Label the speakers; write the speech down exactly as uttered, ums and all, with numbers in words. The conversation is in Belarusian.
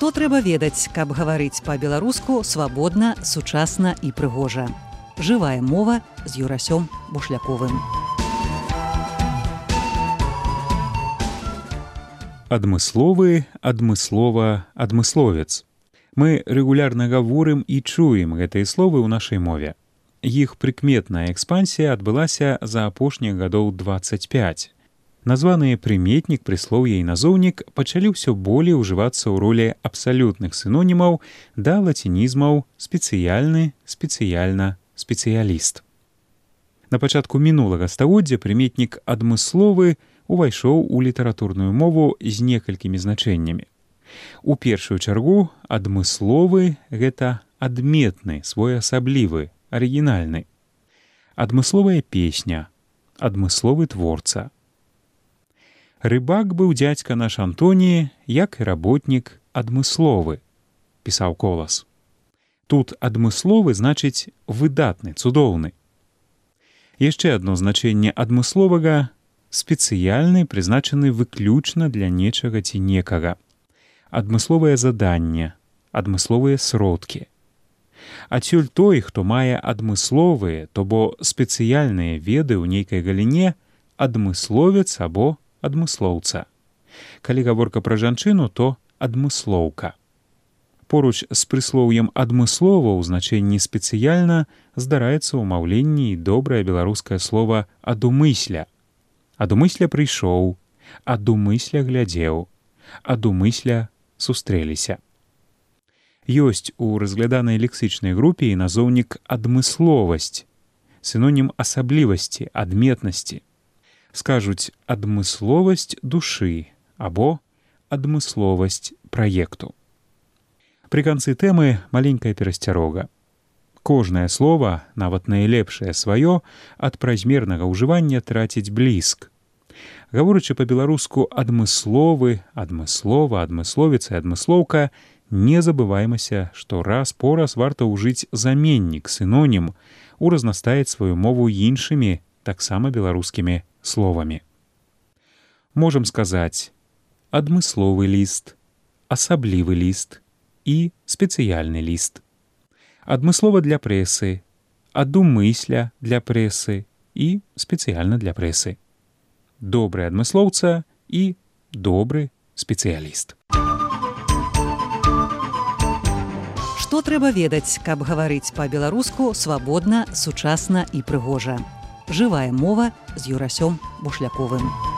Speaker 1: Што трэба ведаць, каб гаварыць па-беларуску свабодна, сучасна і прыгожа. Жывая мова з Юрасём Бушляковым.
Speaker 2: Адмысловы, адмыслова, адмысловец. Мы рэгулярна гаворым і чуем гэтыя словы ў нашай мове. Іх прыкметная экспансія адбылася за апошніх гадоў дваццаць пяць. Названыя прыметнік, прыслоўе і назоўнік пачалі ўсё болей ужывацца ў ролі абсалютных сінонімаў да лацінізмаў спецыяльны, спецыяльна, спецыяліст. На пачатку мінулага стагоддзя прыметнік адмысловы увайшоў у літаратурную мову з некалькімі значэннямі. У першую чаргу адмысловы — гэта адметны, своеасаблівы, арыгінальны. Адмысловая песня, адмысловы творца. Рыбак быў дзядзька наш Антоні, як і работнік адмысловы, пісаў Колас. Тут адмысловы значыць выдатны, цудоўны. Яшчэ адно значэнне адмысловага — спецыяльны, прызначаны выключна для нечага ці некага. Адмысловае заданне, адмысловыя сродкі. Адсюль той, хто мае адмысловыя, то бо спецыяльныя веды ў нейкай галіне, адмысловец або адмыслоўца. Калі гаворка пра жанчыну, то адмыслоўка. Поруч з прыслоўем адмыслова ў значэнні спецыяльна здараецца ў маўленні і добрае беларускае слова адумысля. Адумысля прыйшоў, адумысля глядзеў, адумысля сустрэліся. Ёсць у разгляданай лексычнай групе і назоўнік адмысловасць, сінонім асаблівасці, адметнасці. Скажуць адмысловасць душы або адмысловасць праекту. Пры канцы тэмы маленькая перасцярога. Кожнае слова, нават найлепшае сваё, ад празмернага ўжывання траціць бліск. Гаворачы па-беларуску адмысловы, адмыслова, адмысловец і адмыслоўка, не забываймася, што раз по раз варта ўжыць заменнік, сінонім, уразнастаіць сваю мову іншымі, таксама беларускімі словамі. Можам сказаць адмысловы ліст, асаблівы ліст і спецыяльны ліст. Адмыслова для прэсы, адумысля для прэсы і спецыяльна для прэсы. Добры адмыслоўца і добры спецыяліст.
Speaker 1: Што трэба ведаць, каб гаварыць па-беларуску свабодна, сучасна і прыгожа. Жывая мова з Юрасём Бушляковым.